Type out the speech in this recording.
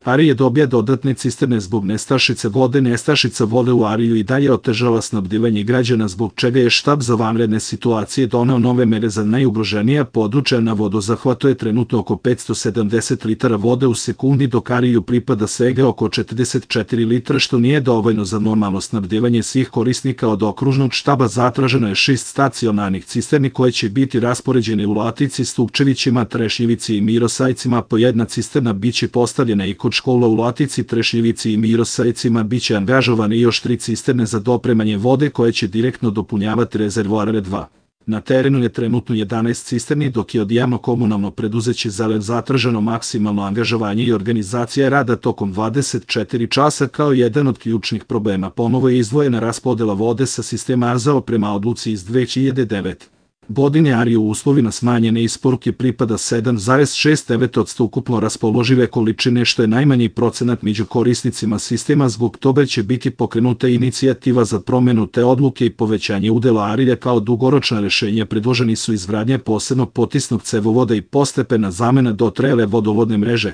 Arije dobija dodatne cisterne zbog nestašice vode. Nestašica vode u Ariju i dalje otežava snabdevanje građana, zbog čega je štab za vanredne situacije doneo nove mere za najugroženija područja. Na vodozahvatu je trenutno oko 570 litara vode u sekundi, dok Ariju pripada svega oko 44 litra, što nije dovoljno za normalno snabdevanje svih korisnika. Od okružnog štaba zatraženo je 6 stacionarnih cisterni koje će biti raspoređene u Latici, Stupčevićima, Trešnjevici i Mirosajcima. Po jedna cisterna biće postavljena i kod škola u Latici, Trešnjevici i Mirosajcima. Biće angažovane još 3 cisterne za dopremanje vode koje će direktno dopunjavati rezervoare 2. Na terenu je trenutno 11 cisterni, dok je od javno-komunalno preduzeće Zalev zatraženo maksimalno angažovanje i organizacija rada tokom 24 časa. Kao jedan od ključnih problema ponovo je izdvojena raspodela vode sa sistema ARZAO prema odluci iz 2009. godine. Ariju u uslovima smanjene isporuke pripada 7,69% ukupno raspoložive količine, što je najmanji procenat među korisnicima sistema. Zbog toga će biti pokrenuta inicijativa za promenu te odluke i povećanje udela Arije. Kao dugoročna rešenja predloženi su izgradnja posebnog potisnog cevovoda i postepena zamena dotrajale vodovodne mreže.